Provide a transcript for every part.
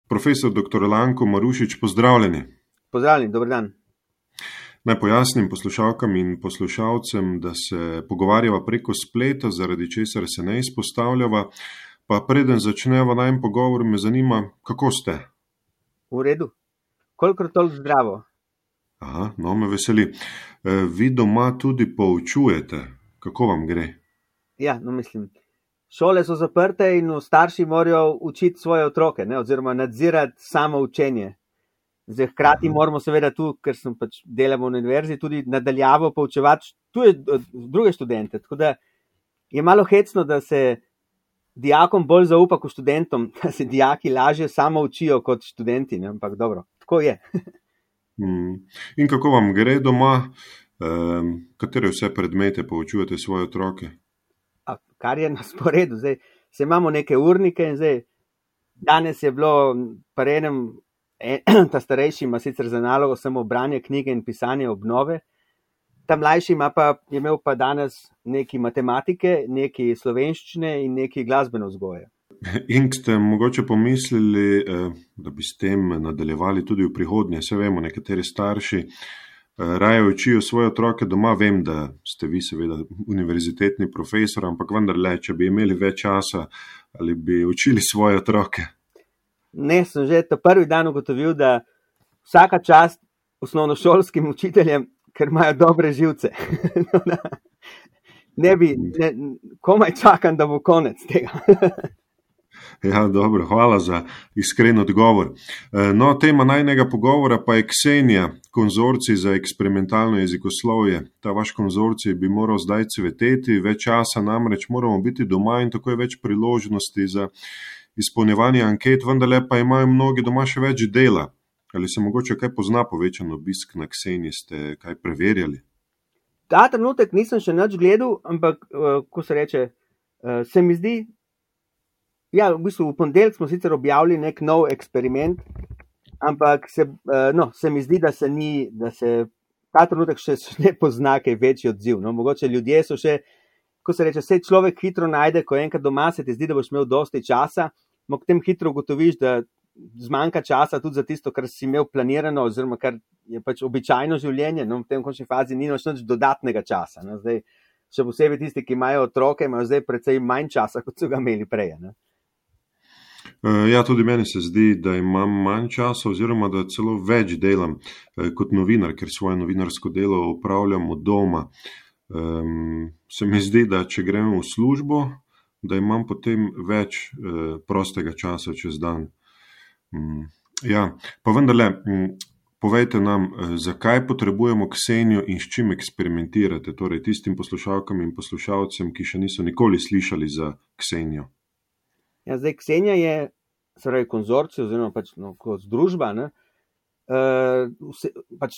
Profesor dr. Lanko Marušič, pozdravljeni. Pozdravljeni, dober dan. Naj pojasnim poslušalkam in poslušalcem, da se pogovarjava preko spleta, zaradi česar se ne izpostavljava. Pa preden začneva najin pogovor, me zanima, kako ste? V redu. Kolikor toliko zdravo. Aha, no, me veseli. Vi doma tudi poučujete. Kako vam gre? Ja, mislim, šole so zaprte in starši morajo učiti svoje otroke, oziroma nadzirati samo učenje. Zdaj, hkrati moramo seveda tu, ker sem delamo na univerzi, tudi nadaljavo poučevati druge študente. Tako da je malo hecno, da se dijakom bolj zaupa kot študentom, da se dijaki lažje samo učijo kot študenti, ampak dobro, tako je. In kako vam gre doma? Katere vse predmete poučujete svoje otroke? Kar je na sporedu. Zdaj, se imamo neke urnike in zdaj, danes je bilo pri enem, ta starejši ima sicer za nalogo samo branje knjige in pisanje obnove, ta mlajši je imel pa danes neki matematike, neki slovenščine in neki glasbeno vzgoje. In ste mogoče pomislili, da bi s tem nadaljevali tudi v prihodnje? Se vemo, nekateri starši raje učijo svoje otroke doma. Vem, da ste vi seveda univerzitetni profesor, ampak vendarle, če bi imeli več časa, ali bi učili svoje otroke? Ne, sem že ta prvi dan ugotovil, da vsaka čast osnovnošolskim učiteljem, ker imajo dobre živce. Komaj čakam, da bo konec tega. Ja, dobro, hvala za iskren odgovor. No, tema najnega pogovora pa je Ksenija, konzorcij za eksperimentalno jezikoslovje. Ta vaš konzorcij bi moral zdaj cveteti, več časa namreč moramo biti doma in tako je več priložnosti za izpolnjevanje anket, vendarle pa imajo mnogi doma še več dela. Ali se mogoče kaj pozna povečan obisk na Kseniji, ste kaj preverjali? Ta trenutek nisem še nič gledal, ampak ko se reče, se mi zdi, ja, v bistvu v ponedeljek smo sicer objavili nek nov eksperiment, ampak se mi zdi, da se ta trenutek še ne pozna kaj večji odziv. Mogoče ljudje so še, ko se reče, se človek hitro najde, ko enkrat doma se ti zdi, da boš imel dosti časa, potem hitro ugotoviš, da zmanjka časa tudi za tisto, kar si imel planirano, oziroma kar je običajno življenje, v tem končni fazi ni nič dodatnega časa. Zdaj, še posebej tisti, ki imajo otroke, imajo zdaj precej manj časa, kot so ga imeli prej. Ja, tudi meni se zdi, da imam manj časa oziroma da celo več delam kot novinar, ker svoje novinarsko delo opravljam od doma. Se mi zdi, da če grem v službo, da imam potem več prostega časa čez dan. Ja, pa vendarle, povejte nam, zakaj potrebujemo Ksenijo in s čim eksperimentirate, torej tistim poslušalkam in poslušalcem, ki še niso nikoli slišali za Ksenijo. Ja, zdaj Ksenija je konzorcij oziroma kot združba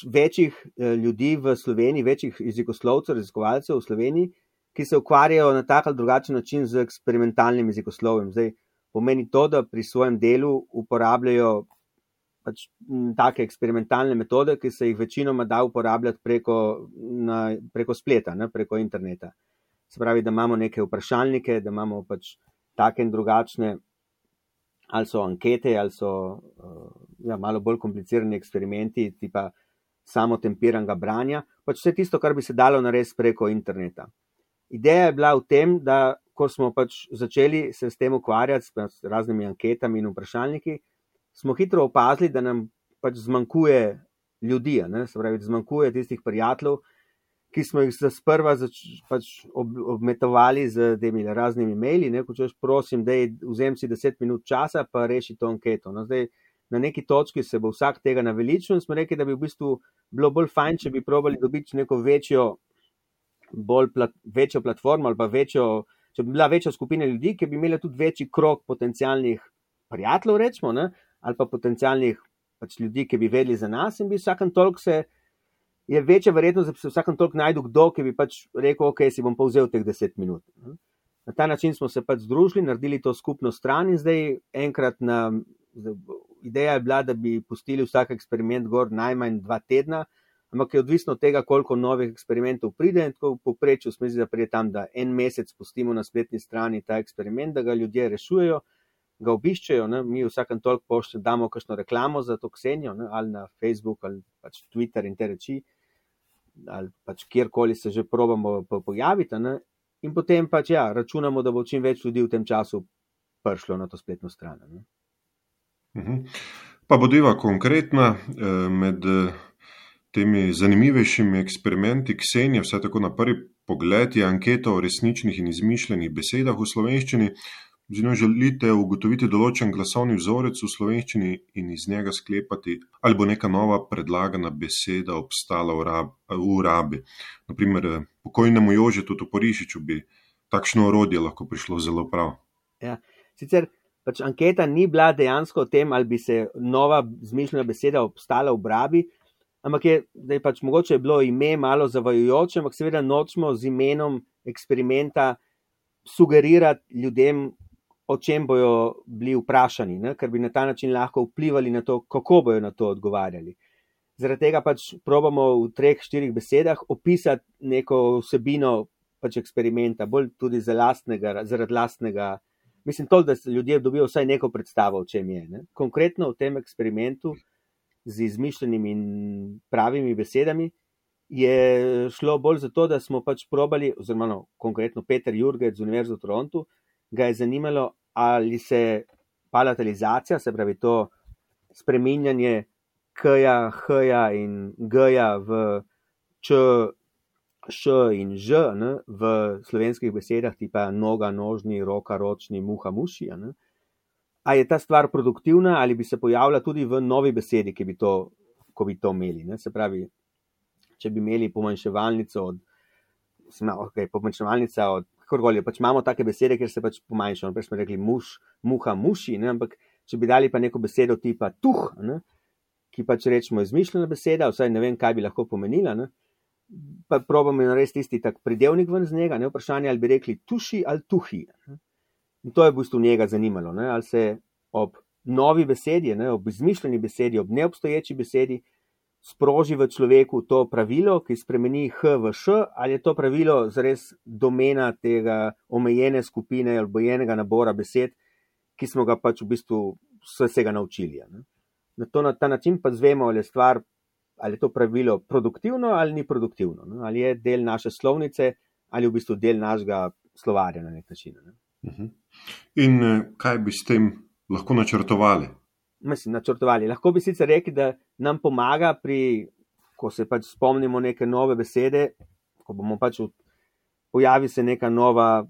večjih ljudi v Sloveniji, večjih jezikoslovcev, raziskovalcev v Sloveniji, ki se ukvarjajo na tak ali drugačen način z eksperimentalnim jezikoslovjem. Zdaj pomeni to, da pri svojem delu uporabljajo take eksperimentalne metode, ki se jih večinoma da uporabljati preko spleta, preko interneta. Se pravi, da imamo neke vprašalnike, da imamo take in drugačne, ali so ankete, ali so malo bolj komplicirani eksperimenti, tipa samotempiranega branja, vse tisto, kar bi se dalo narediti preko interneta. Ideja je bila v tem, da ko smo začeli se s tem ukvarjati s raznimi anketami in vprašalniki, smo hitro opazili, da nam zmanjkuje ljudi, se pravi, zmanjkuje tistih prijateljev, ki smo jih sprva obmetovali z temi raznimi maili, ko češ prosim, da vzem si 10 minut časa, pa reši to anketo. Zdaj, na neki točki se bo vsak tega naveličil in smo rekli, da bi v bistvu bilo bolj fajn, če bi probali dobiti neko večjo platformo ali pa če bi bila večja skupina ljudi, ki bi imeli tudi večji krog potencialnih prijateljev, rečemo, ali pa potencialnih ljudi, ki bi vedeli za nas in bi vsakem toliko je večja verjetnost, da bi se vsakem toliko najdu kdo, ki bi rekel, ok, si bom pa vzel teh 10 minut. Na ta način smo se združili, naredili to skupno stran in zdaj enkrat ideja je bila, da bi pustili vsak eksperiment gor najmanj 2 tedna, ampak je odvisno od tega, koliko novih eksperimentov pride in tako v povprečju smo da pride tam, da en mesec pustimo na spletni strani ta eksperiment, da ga ljudje rešujejo, ga obiščejo, ne? Mi vsakem toliko damo kakšno reklamo za to Ksenijo, ne? Ali na Facebook, ali pač Twitter in te reči, ali pač kjerkoli se že probamo pojaviti, ne? In potem pač računamo, da bo čim več ljudi v tem času prišlo na to spletno stran. Ne? Pa bodiva konkretna, med temi zanimivejšimi eksperimenti Ksenije, vsaj tako na prvi pogled, je anketa o resničnih in izmišljenih besedah v slovenščini. Z njo želite ugotoviti določen glasovni vzorec v slovenščini in iz njega sklepati, ali bo neka nova predlagana beseda obstala v rabi. Naprimer, pokojnemu Jožetu Toporišiču bi takšno orodje lahko prišlo zelo prav. Ja, sicer pač anketa ni bila dejansko o tem, ali bi se nova izmišljena beseda obstala v rabi, ampak je pač mogoče je bilo ime malo zavajajoče, ampak seveda nočemo z imenom eksperimenta sugerirati ljudem, o čem bojo bili vprašani, ne? Ker bi na ta način lahko vplivali na to, kako bojo na to odgovarjali. Zaradi tega pač probamo v 3-4 besedah opisati neko vsebino pač eksperimenta, bolj tudi zaradi lastnega. Mislim to, da ljudje dobijo vsaj neko predstavo, o čem je. Ne? Konkretno v tem eksperimentu z izmišljenimi in pravimi besedami je šlo bolj za to, da smo pač probali, oziroma konkretno Peter Jurgec z Univerze v Torontu, ga je zanimalo, ali se palatalizacija, se pravi to spreminjanje k-ja, h-ja in g-ja v č, š in ž, ne, v slovenskih besedah tipa noga, nožni, roka, ročni, muha, muši, ne. A je ta stvar produktivna ali bi se pojavila tudi v novi besedi, ko bi to imeli, ne. Se pravi, če bi imeli pomanjševalnico pomanjševalnica od kakorkoli, pač imamo take besede, kjer se pač pomanjšamo, prej smo rekli muha, muši, ne, ampak če bi dali pa neko besedo tipa tuh, ne, ki pač rečemo izmišljena beseda, vsaj ne vem, kaj bi lahko pomenila, ne, pa probamo narediti tisti tak pridevnik ven z njega, ne, vprašanje, ali bi rekli tuši ali tuhi. Ne. In to je v bistvu njega zanimalo, ne, ali se ob novi besedi, ne, ob izmišljeni besedi, ob neobstoječi besedi sproži v človeku to pravilo, ki spremeni h v š, ali je to pravilo zares domena tega omejene skupine ali omejenega nabora besed, ki smo ga pač v bistvu vsega naučili. Ne. Na ta način pa zvemo, ali je to pravilo produktivno ali ni produktivno, ne. Ali je del naše slovnice ali v bistvu del našega slovarja na nek način. Ne. In kaj bi s tem lahko načrtovali? Načrtovali. Lahko bi sicer rekli, da nam pomaga ko se pač spomnimo neke nove besede, ko bomo pač pojavi se neka nova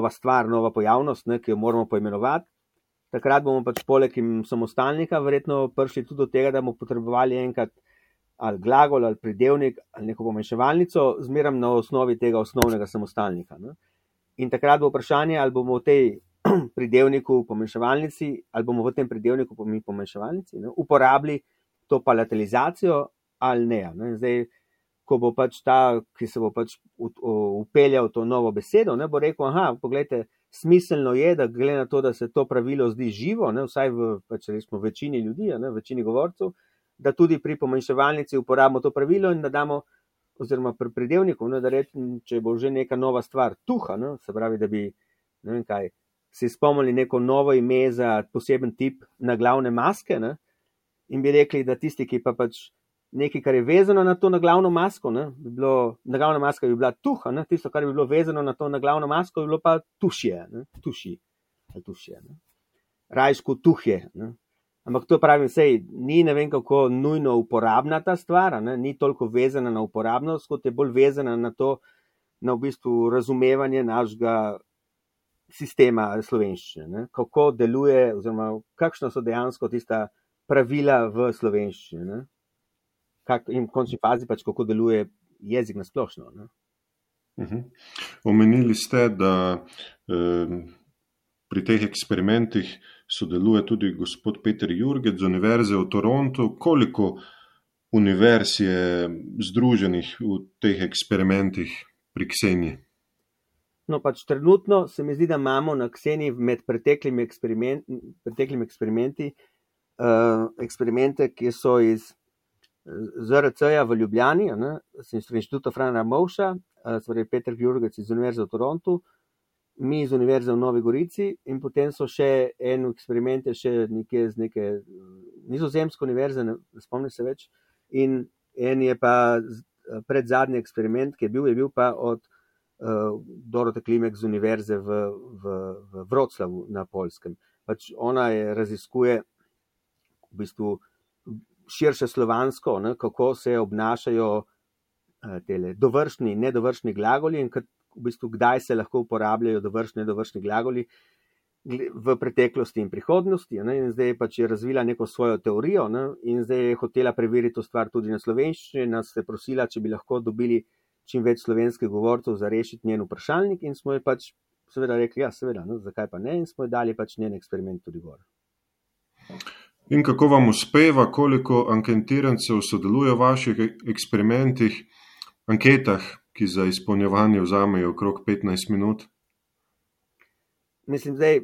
stvar, nova pojavnost, ne, ki jo moramo poimenovati. Takrat bomo pač poleg samostalnika verjetno prišli tudi do tega, da bomo potrebovali enkrat ali glagol, ali pridevnik, ali neko pomanjševalnico, zmeram na osnovi tega osnovnega samostalnika. Ne. In takrat bo vprašanje, ali bomo v tej pridevniku pomanjševalnici, ali bomo v tem pridevniku pomanjševalnici uporabili to palatalizacijo ali ne. Ne. Zdaj, ko bo pač ta, ki se bo pač upeljal to novo besedo, ne, bo rekel, poglejte, smiselno je, da glede na to, da se to pravilo zdi živo, ne, vsaj v pač resmo večini ljudi, ne, večini govorcev, da tudi pri pomanjševalnici uporabimo to pravilo in da damo, oziroma pri pridevniku, ne, da rečem, če bo že neka nova stvar tuha, ne, se pravi, da bi, ne vem kaj, si spomnili neko novo ime za poseben tip naglavne maske, ne, in bi rekli, da tisti, ki pa pač nekaj, kar je vezano na to naglavno masko, ne, naglavna maska bi bila tuha, ne, tisto, kar bi bilo vezano na to naglavno masko, bi bilo pa tušje, ne, tušje, ne, rajšku tuhje, ne. Ampak to pravim, sej, ni ne vem kako nujno uporabna ta stvar, ne, ni toliko vezana na uporabnost, kot je bolj vezana na to, na v bistvu razumevanje našega sistema slovenščine, ne, kako deluje, oziroma kakšna so dejansko tista pravila v slovenščini, ne. In v končni fazi pač kako deluje jezik na splošno. Ne. Omenili ste, da pri teh eksperimentih sodeluje tudi gospod Peter Jurgec z Univerze v Torontu. Koliko univerz je združenih v teh eksperimentih pri Kseniji? No, pač trenutno se mi zdi, da imamo na Kseniji med preteklimi eksperimenti eksperimente, ki so iz ZRC-ja v Ljubljani, ne, z Inštituta Frana Ramovša, Peter Jurgec iz Univerze v Torontu, mi iz Univerze v Novi Gorici in potem so še en eksperiment še nekje z neke nizozemske univerze, ne spomnim se več, in en je pa predzadnji eksperiment, ki je bil pa od Dorote Klimek z Univerze v Wroclawu na Poljskem. Pač ona raziskuje v bistvu širše slovansko, ne, kako se obnašajo tele dovršni in nedovršni glagoli in v bistvu kdaj se lahko uporabljajo dovršni in nedovršni glagoli v preteklosti in prihodnosti. Ne, in zdaj pač je razvila neko svojo teorijo, ne, in zdaj je hotela preveriti to stvar tudi na slovenščini, nas je prosila, če bi lahko dobili čim več slovenskih govorcev za rešiti njen vprašalnik in smo ji pač seveda rekli, ja, seveda, no, zakaj pa ne, in smo ji dali pač njen eksperiment tudi gor. In kako vam uspeva, koliko anketirancev sodeluje v vaših eksperimentih, anketah, ki za izpolnjevanje vzamejo okrog 15 minut? Mislim, zdaj,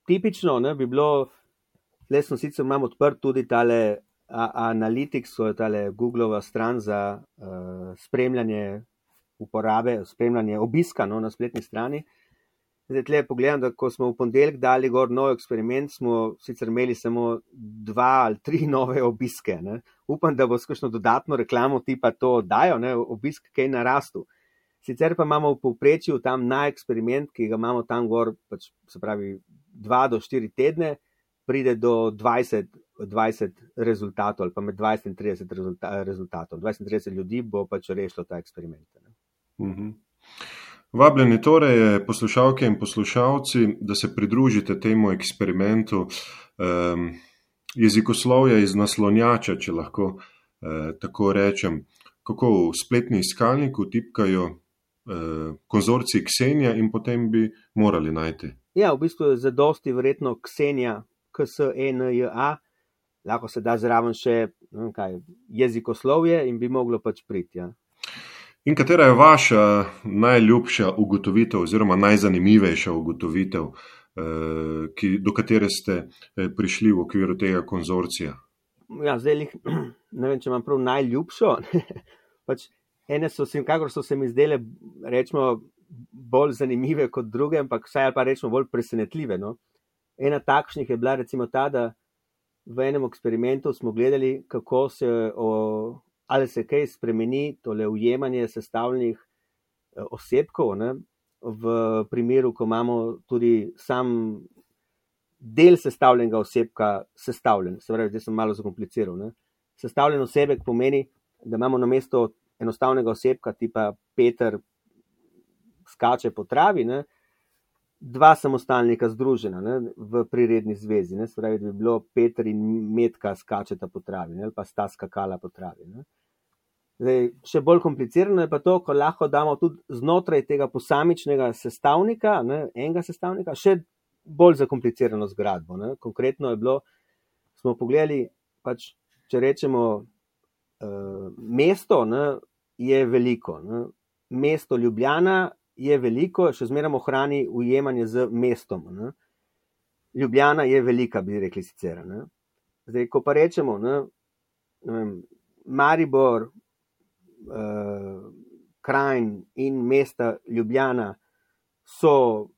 tipično, ne, bi bilo, tle sem sicer imam odprt tudi tale Analytics, tale Googleova stran za spremljanje uporabe, spremljanje obiska, no, na spletni strani. Zdaj, tle pogledam, da ko smo v ponedeljek dali gor nov eksperiment, smo sicer imeli samo 2 ali 3 nove obiske. Ne. Upam, da bo s kakšno dodatno reklamo tipa to dajo, ne, obisk kaj narastel. Sicer pa imamo v povprečju tam na eksperiment, ki ga imamo tam gor, pač, se pravi 2 do 4 tedne, pride do 20 rezultatov ali pa med 20 in 30 rezultatov. 20 in 30 ljudi bo pač rešilo ta eksperiment. Ne. Vabljeni torej poslušalke in poslušalci, da se pridružite temu eksperimentu jezikoslovja iz naslonjača, če lahko tako rečem. Kako v spletni iskalnik vtipkajo konzorcij Ksenija in potem bi morali najti. Ja, v bistvu je zadosti verjetno Ksenija, Ksenja, lahko se da zraven še jezikoslovje in bi moglo pač priti. Ja. In katera je vaša najljubša ugotovitev oziroma najzanimivejša ugotovitev, do katere ste prišli v okviru tega konzorcija? Ja, zdaj ne vem, če imam prav najljubšo. Pač ene so se mi zdele, rečemo, bolj zanimive kot druge, ampak vsaj ali pa rečemo bolj presenetljive. No? Ena takšnih je bila recimo ta, da v enem eksperimentu smo gledali, kako ali se kaj spremeni tole ujemanje sestavljenih osebkov, ne, v primeru, ko imamo tudi sam del sestavljenega osebka sestavljen. Se pravi, zdaj sem malo zakompliciral. Ne. Sestavljen osebek pomeni, da imamo namesto enostavnega osebka tipa Peter skače po travi, ne, 2 samostalnika združena, ne, v priredni zvezi. Ne. Se pravi, da bi bilo Peter in Metka skačeta po travi, ne, ali pa sta skakala po travi. Ne. Zdaj, še bolj komplicirano je pa to, ko lahko damo tudi znotraj tega posamičnega sestavnika, ne, enega sestavnika, še bolj zakomplicirano zgradbo. Ne. Konkretno je bilo, smo pogledali, pač, če rečemo, mesto, ne, je veliko. Ne. Mesto Ljubljana je veliko, še zmeraj ohrani ujemanje z mestom. Ne. Ljubljana je velika, bi rekli sicer. Ne. Zdaj, ko pa rečemo, ne vem, Maribor, Kranj in mesta Ljubljana so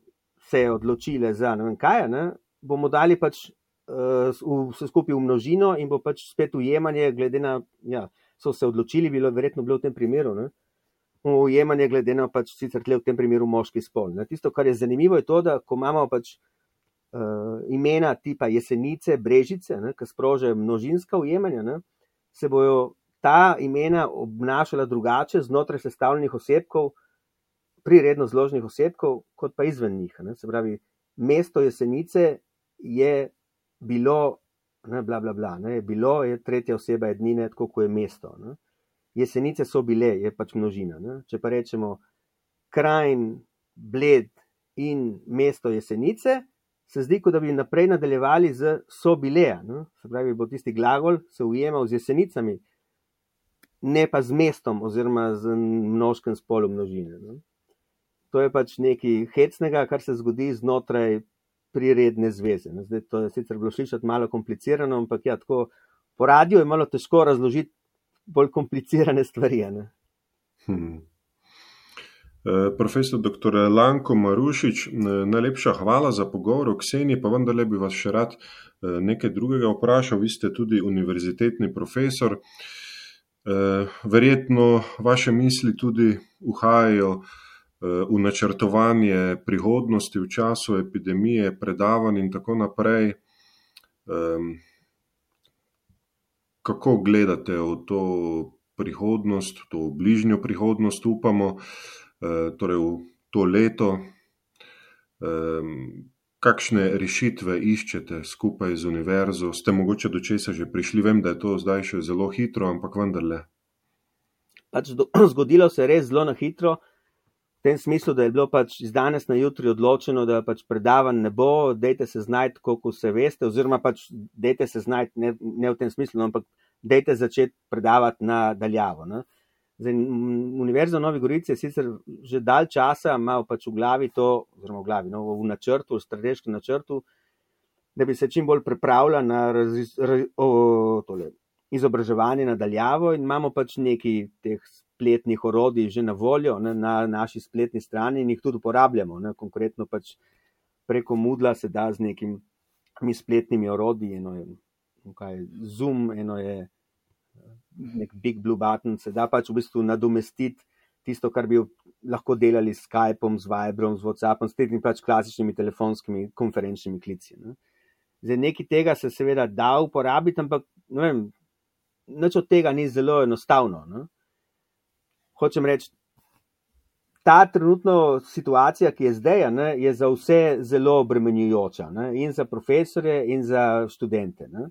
se odločile za ne vem kaj, ne, bomo dali pač vse skupaj v množino in bo pač spet ujemanje glede na, ja, so se odločili, verjetno bilo v tem primeru, ne, ujemanje glede na pač sicer tle v tem primeru moški spol. Ne. Tisto, kar je zanimivo, je to, da ko imamo pač imena tipa Jesenice, Brežice, ne, ki sprožajo množinska ujemanja, ne, se bojo ta imena obnašala drugače znotraj sestavljenih osebkov, priredno zloženih osebkov, kot pa izven njih. Ne. Se pravi, mesto Jesenice je bilo, ne, bla, bla, bla, ne, bilo je tretja oseba ednine, tako kot je mesto. Ne. Jesenice so bile, je pač množina. Ne. Če pa rečemo Kranj, Bled in mesto Jesenice, se zdi, kot da bi naprej nadaljevali z so bile. Ne. Se pravi, bo tisti glagol se ujemal z Jesenicami, ne pa z mestom oziroma z mnoškem spolom množine. Ne. To je pač nekaj hecnega, kar se zgodi znotraj priredne zveze. Ne. Zdaj, to je sicer bilo slišati malo komplicirano, ampak ja, tako po radiju je malo težko razložiti bolj komplicirane stvari. Ne. Profesor dr. Lanko Marušič, najlepša hvala za pogovor o Kseniji, pa vendarle bi vas še rad nekaj drugega vprašal. Vi ste tudi univerzitetni profesor. Verjetno vaše misli tudi uhajajo v načrtovanje prihodnosti v času epidemije, predavanj in tako naprej. Kako gledate v to prihodnost, v to bližnjo prihodnost, upamo, torej v to leto? Kakšne rešitve iščete skupaj z univerzo? Ste mogoče do česa že prišli? Vem, da je to zdaj še zelo hitro, ampak vendarle. Zgodilo se je res zelo na hitro, v tem smislu, da je bilo iz danes na jutri odločeno, da predavanj ne bo, dajte se znajti, koliko se veste, oziroma dajte se znajti, ne v tem smislu, ampak dajte začeti predavati na daljavo. Ne? Zdaj, Univerza v Novi Gorici je sicer že dalj časa imel v glavi to, oziroma v načrtu, v strateškem načrtu, da bi se čim bolj pripravila na izobraževanje na daljavo in imamo nekaj teh spletnih orodij že na voljo na naši spletni strani in jih tudi uporabljamo. Ne? Konkretno preko Moodla se da z nekimi spletnimi orodji, eno je Zoom, eno je nek Big Blue Button, se da v bistvu nadomestiti tisto, kar bi lahko delali s Skypeom, z Viberom, z WhatsAppom, s temi klasičnimi telefonskimi konferenčnimi klici. Ne. Zdaj, nekaj tega se seveda da uporabiti, ampak ne vem, nič od tega ni zelo enostavno. Ne. Hočem reči, ta trenutno situacija, ki je zdaj, ne, je za vse zelo obremenjujoča, ne, in za profesorje in za študente. Ne.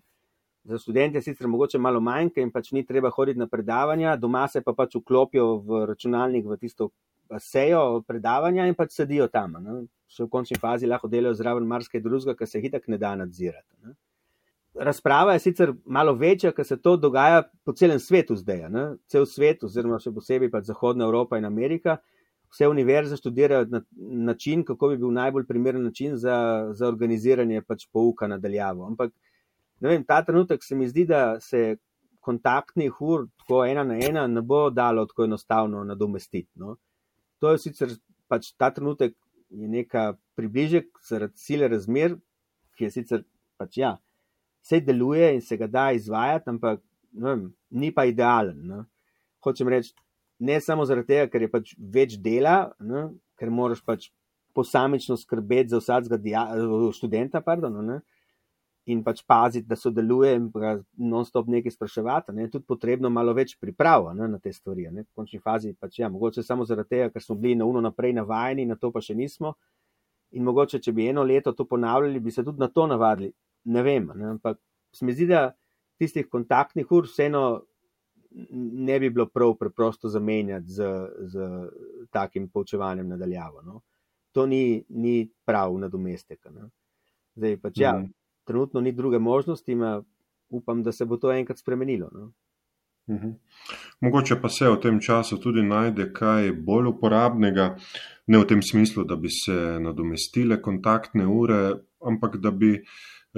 Za študente sicer mogoče malo manjka in ni treba hoditi na predavanja, doma se pa vklopijo v računalnik v tisto sejo predavanja in sedijo tam. Ne. Še v končni fazi lahko delajo zraven marsikaj drugega, kar se itak ne da nadzirati. Ne. Razprava je sicer malo večja, ker se to dogaja po celem svetu zdaj. Ne. Cel svet, oziroma še posebej Zahodna Evropa in Amerika, vse univerze študirajo na način, kako bi bil najbolj primeren način za organiziranje pouka na daljavo. Ampak ne vem, ta trenutek se mi zdi, da se kontaktnih ur tako 1 na 1 ne bo dalo tako enostavno nadomestiti. No. To je sicer ta trenutek je neka približek zaradi sile razmer, ki je sicer vse deluje in se ga da izvajati, ampak ne vem, ni pa idealen. Ne. Hočem reči, ne samo zaradi tega, ker je več dela, ne, ker moraš posamično skrbeti za vsakega študenta, ne, in paziti, da sodeluje in non-stop nekaj spraševati, ne, je tudi potrebno malo več priprav na te stvari. Ne. V končni fazi mogoče samo zaradi tega, ker smo bili na naprej navajeni, na to pa še nismo. In mogoče, če bi 1 leto to ponavljali, bi se tudi na to navadili. Ne vem, ne, ampak se mi zdi, da tistih kontaktnih ur vseeno ne bi bilo prav preprosto zamenjati z takim poučevanjem nadaljavo. No. To ni prav nadomestek. Ne. Zdaj trenutno ni druge možnosti, upam, da se bo to enkrat spremenilo. No. Mogoče pa se v tem času tudi najde kaj bolj uporabnega, ne v tem smislu, da bi se nadomestile kontaktne ure, ampak da bi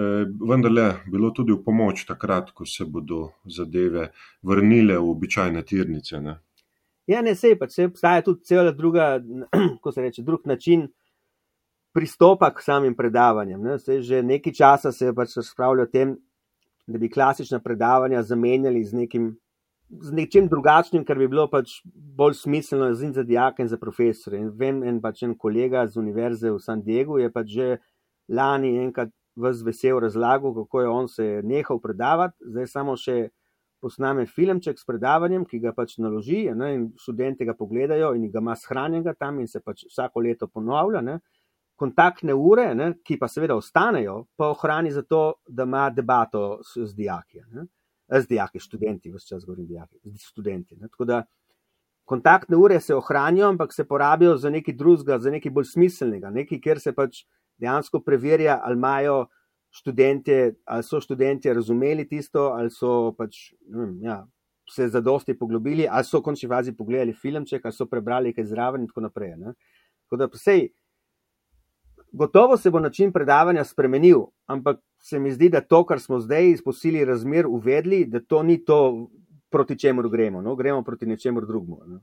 vendarle bilo tudi v pomoč takrat, ko se bodo zadeve vrnile v običajne tirnice. Ne? Ja, ne, sej obstaja tudi cela druga, ko se reče, drug način pristopa k samim predavanjem. Ne? Sej že nekaj časa se je razpravljalo o tem, da bi klasična predavanja zamenjali z nečim drugačnim, kar bi bilo bolj smiselno za dijake in za profesore. In vem, en kolega z univerze v San Diegu je že lani enkrat ves vesel razlagal, kako je on se nehal predavati, zdaj samo še posname filmček s predavanjem, ki ga naloži, ne, in študenti ga pogledajo in ga ima shranjenega tam in se vsako leto ponavlja. Ne. Kontaktne ure, ne, ki pa seveda ostanejo, pa ohrani zato, da ima debato z dijaki. Ne. Z dijaki, študenti, vse čas govorim dijaki, študenti. Ne. Tako da kontaktne ure se ohranijo, ampak se porabijo za nekaj drugega, za nekaj bolj smiselnega, nekaj, kjer se dejansko preverja, ali imajo študentje, ali so študentje razumeli tisto, ali so se zadosti poglobili, ali so v končni fazi pogledali filmček, ali so prebrali kaj zraven in tako naprej. Ne. Tako da gotovo se bo način predavanja spremenil, ampak se mi zdi, da to, kar smo zdaj iz posili razmer uvedli, da to ni to, proti čemur gremo. No? Gremo proti nečemur drugemu.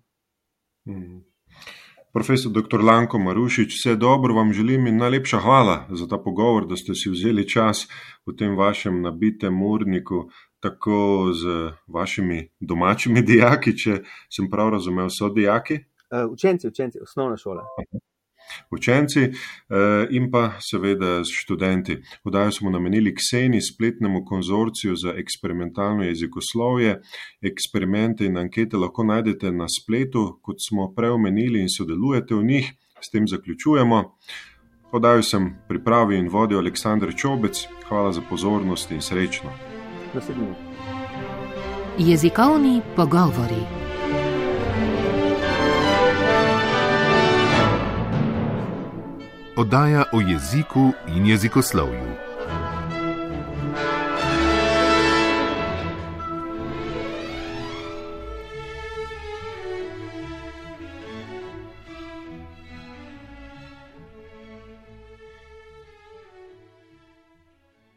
Profesor dr. Lanko Marušič, vse dobro vam želim in najlepša hvala za ta pogovor, da ste si vzeli čas v tem vašem nabitem urniku, tako z vašimi domačimi dijaki, če sem prav razumel, so dijaki? Učenci, osnovna šola. Učenci in pa seveda študenti. Oddajo smo namenili Kseni, spletnemu konzorciju za eksperimentalno jezikoslovje. Eksperimente in ankete lahko najdete na spletu, kot smo preomenili, in sodelujete v njih. S tem zaključujemo. Oddajo sem pripravil in vodil Aleksander Čobec. Hvala za pozornost in srečno. Naslednji. Jezikovni pogovori. Oddaja o jeziku in jezikoslovju.